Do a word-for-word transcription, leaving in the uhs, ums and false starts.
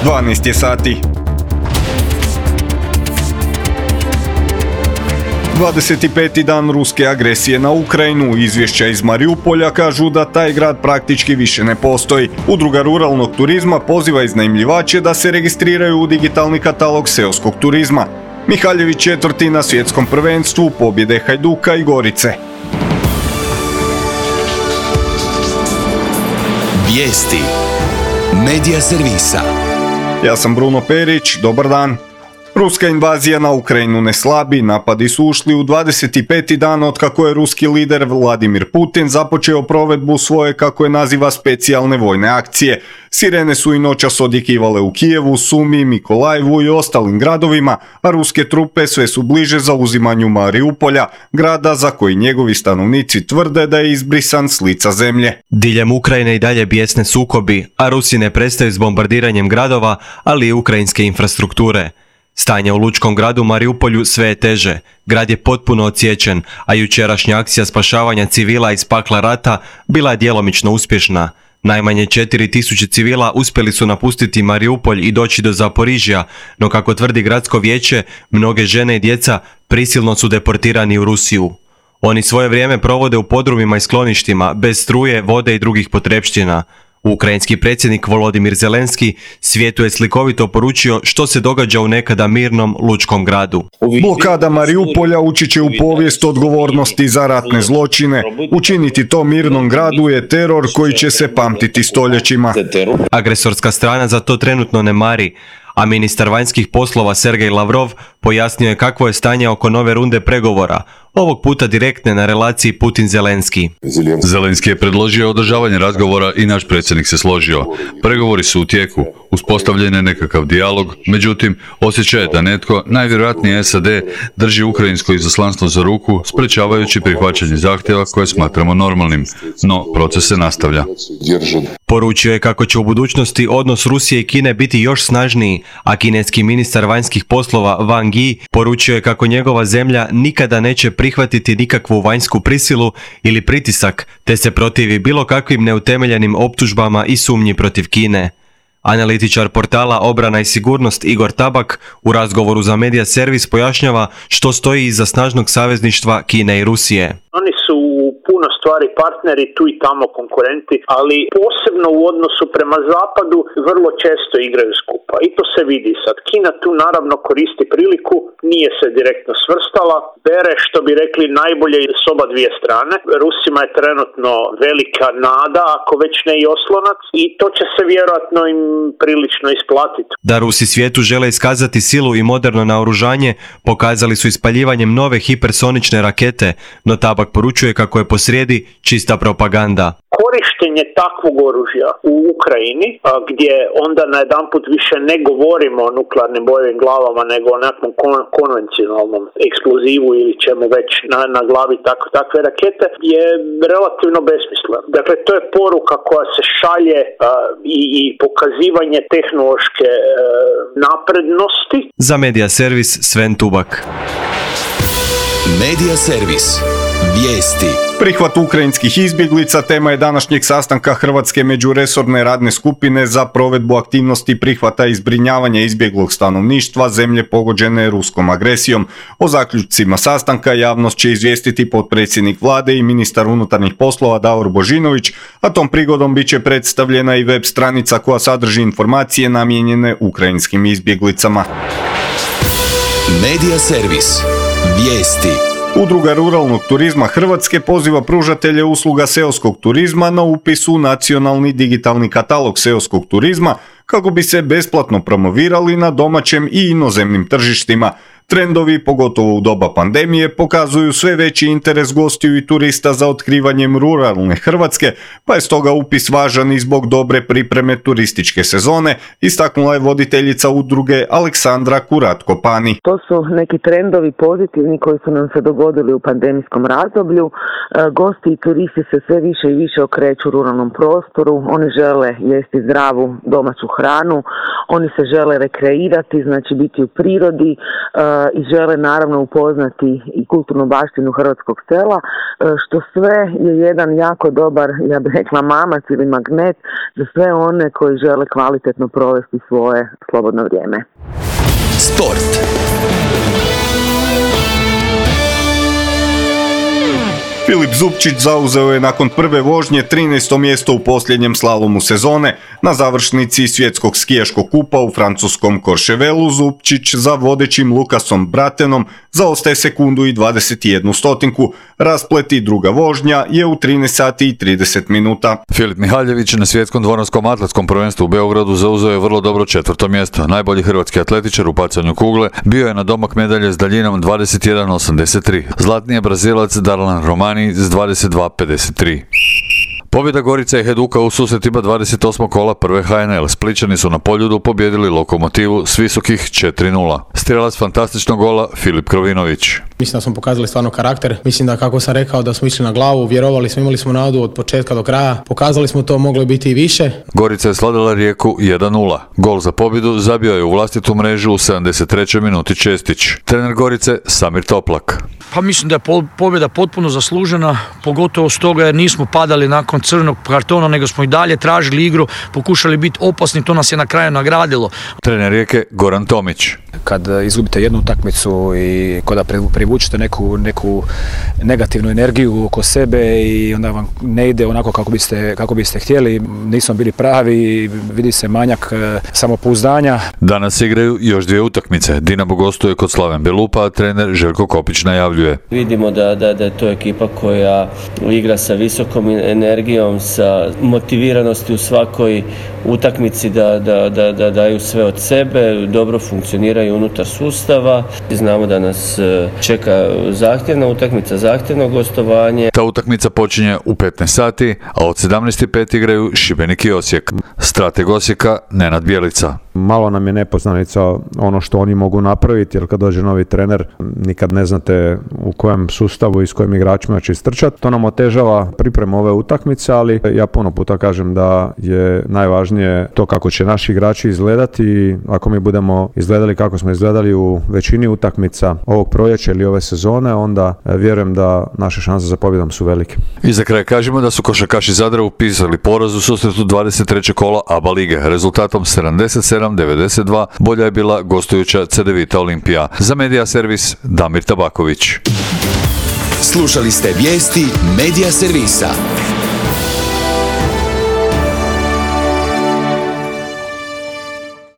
dvanaest je sati. dvadeset peti dan ruske agresije na Ukrajinu. Izvješća iz Mariupolja kažu da taj grad praktički više ne postoji. Udruga ruralnog turizma poziva iznajmljivače da se registriraju u digitalni katalog seoskog turizma. Mihaljević četvrti na svjetskom prvenstvu, pobjede Hajduka i Gorice. Vijesti Medija servisa. Ja sam Bruno Perić, dobar dan. Ruska invazija na Ukrajinu ne slabi, napadi su ušli u dvadeset peti dan otkako je ruski lider Vladimir Putin započeo provedbu svoje, kako je naziva, specijalne vojne akcije. Sirene su i noćas odjekivale u Kijevu, Sumi, Mikolajevu i ostalim gradovima, a ruske trupe sve su bliže zauzimanju Mariupolja, grada za koji njegovi stanovnici tvrde da je izbrisan s lica zemlje. Diljem Ukrajine i dalje bijesne sukobi, a Rusi ne prestaju s bombardiranjem gradova, ali i ukrajinske infrastrukture. Stanje u lučkom gradu Mariupolju sve je teže. Grad je potpuno odsječen, a jučerašnja akcija spašavanja civila iz pakla rata bila je djelomično uspješna. Najmanje četiri tisuće civila uspjeli su napustiti Mariupolj i doći do Zaporižja, no kako tvrdi gradsko vijeće, mnoge žene i djeca prisilno su deportirani u Rusiju. Oni svoje vrijeme provode u podrumima i skloništima, bez struje, vode i drugih potrepština. Ukrajinski predsjednik Volodimir Zelenski svijetu je slikovito poručio što se događa u nekada mirnom lučkom gradu. Blokada Mariupolja ući će u povijest odgovornosti za ratne zločine. Učiniti to mirnom gradu je teror koji će se pamtiti stoljećima. Agresorska strana za to trenutno ne mari, a ministar vanjskih poslova Sergej Lavrov pojasnio je kakvo je stanje oko nove runde pregovora, ovog puta direktne na relaciji Putin-Zelenski. Zelenski je predložio održavanje razgovora i naš predsjednik se složio. Pregovori su u tijeku, uspostavljen je nekakav dijalog, međutim, osjećaj je da netko, najvjerojatnije S A D, drži ukrajinsko izaslanstvo za ruku, sprečavajući prihvaćanje zahtjeva koje smatramo normalnim, no proces se nastavlja. Poručio je kako će u budućnosti odnos Rusije i Kine biti još snažniji, a kineski ministar vanjskih poslova Wang Yi poručio je kako njegova zemlja nikada neće prihvatiti nikakvu vanjsku prisilu ili pritisak, te se protivi bilo kakvim neutemeljenim optužbama i sumnji protiv Kine. Analitičar portala Obrana i sigurnost Igor Tabak u razgovoru za Medija servis pojašnjava što stoji iza snažnog savezništva Kine i Rusije. Oni su u puno stvari partneri, tu i tamo konkurenti, ali posebno u odnosu prema zapadu vrlo često igraju skupa. I to se vidi sad. Kina tu naravno koristi priliku, nije se direktno svrstala, bere, što bi rekli, najbolje s oba dvije strane. Rusima je trenutno velika nada, ako već ne i oslonac, i to će se vjerojatno im prilično isplatiti. Da Rusi svijetu žele iskazati silu i moderno naoružanje, pokazali su ispaljivanjem nove hipersonične rakete, no Tabak poručuje kako je posrijedi čista propaganda. Korištenje takvog oružja u Ukrajini, gdje onda najedanput više ne govorimo o nuklearnim bojevim glavama, nego o nekakvom kon- konvencionalnom eksplozivu ili čemu već na, na glavi tako, takve rakete, je relativno besmisleno. Dakle, to je poruka koja se šalje a, i, i pokazivanje tehnološke a, naprednosti. Za Medija servis Sven Tubak. Medija servis. Vijesti. Prihvat ukrajinskih izbjeglica tema je današnjeg sastanka Hrvatske međuresorne radne skupine za provedbu aktivnosti prihvata i zbrinjavanja izbjeglog stanovništva zemlje pogođene ruskom agresijom. O zaključcima sastanka javnost će izvijestiti potpredsjednik vlade i ministar unutarnjih poslova Davor Božinović, a tom prigodom bit će predstavljena i web stranica koja sadrži informacije namijenjene ukrajinskim izbjeglicama. Medija servis. Vijesti. Udruga ruralnog turizma Hrvatske poziva pružatelje usluga seoskog turizma na upis u nacionalni digitalni katalog seoskog turizma kako bi se besplatno promovirali na domaćem i inozemnim tržištima. Trendovi, pogotovo u doba pandemije, pokazuju sve veći interes gostiju i turista za otkrivanjem ruralne Hrvatske, pa je stoga upis važan i zbog dobre pripreme turističke sezone, istaknula je voditeljica udruge Aleksandra Kuratko-Pani. To su neki trendovi pozitivni koji su nam se dogodili u pandemijskom razdoblju. Gosti i turisti se sve više i više okreću ruralnom prostoru, oni žele jesti zdravu domaću hranu, oni se žele rekreirati, znači biti u prirodi, i žele naravno upoznati i kulturnu baštinu hrvatskog sela, što sve je jedan jako dobar, ja bih rekla, mamac ili magnet za sve one koji žele kvalitetno provesti svoje slobodno vrijeme. Sport. Filip Zupčić zauzeo je nakon prve vožnje trinaesto mjesto u posljednjem slalomu sezone. Na završnici svjetskog skijaškog kupa u francuskom Courchevelu Zupčić za vodećim Lukasom Bratenom zaostaje sekundu i dvadeset jednu stotinku. Rasplet i druga vožnja je u trinaest sati i trideset minuta. Filip Mihaljević na svjetskom dvoranskom atletskom prvenstvu u Beogradu zauzeo je vrlo dobro četvrto mjesto. Najbolji hrvatski atletičar u bacanju kugle bio je na domak medalje s daljinom dvadeset jedan osamdeset tri. Zlatni je Brazilac Darlan Romani s dvadeset dva pedeset tri. Pobjeda Gorica i Hajduka u susretima dvadeset osmog kola prve H N L. Splićani su na Poljudu pobijedili Lokomotivu s visokih četiri nula. Strijelac fantastičnog gola Filip Krovinović. Mislim da smo pokazali stvarno karakter. Mislim da, kako sam rekao, da smo išli na glavu, vjerovali smo, imali smo nadu od početka do kraja. Pokazali smo to, moglo biti i više. Gorica je slavila Rijeku jedan nula. Gol za pobjedu zabio je u vlastitu mrežu u sedamdeset trećoj minuti Čestić. Trener Gorice Samir Toplak. Pa mislim da je pobjeda potpuno zaslužena, pogotovo stoga jer nismo padali nakon crvenog kartona, nego smo i dalje tražili igru, pokušali biti opasni, to nas je na kraju nagradilo. Trener Rijeke Goran Tomić. Kad izgubite jednu utakmicu i kada privučete neku, neku negativnu energiju oko sebe i onda vam ne ide onako kako biste, kako biste htjeli, nismo bili pravi, vidi se manjak samopouzdanja. Danas igraju još dvije utakmice. Dinamo gostuje kod Slaven Belupa, a trener Željko Kopić najavljuje. Vidimo da, da, da je to ekipa koja igra sa visokom energijom, sa motiviranosti u svakoj utakmici da, da, da, da daju sve od sebe, dobro funkcioniraju unutar sustava. Znamo da nas čeka zahtjevna utakmica, zahtjevno gostovanje. Ta utakmica počinje u petnaest sati, a od sedamnaest i pet igraju Šibenik i Osijek. Strateg Osijeka Nenad Bjelica. Malo nam je nepoznanica ono što oni mogu napraviti, jer kad dođe novi trener nikad ne znate u kojem sustavu i s kojim igračima će istrčati. To nam otežava pripremu ove utakmice, ali ja puno puta kažem da je najvažnije to kako će naši igrači izgledati i ako mi budemo izgledali kako smo izgledali u većini utakmica ovog proljeća ili ove sezone, onda vjerujem da naše šanse za pobjedom su velike. I za kraj kažemo da su košarkaši Zadra upisali poraz u susretu dvadeset trećeg kola A B A lige rezultatom sedamdeset sedam devedeset dva. Bolja je bila gostujuća Cedevita Olimpija. Za Medija Servis Damir Tabaković. Slušali ste vijesti Medija Servisa.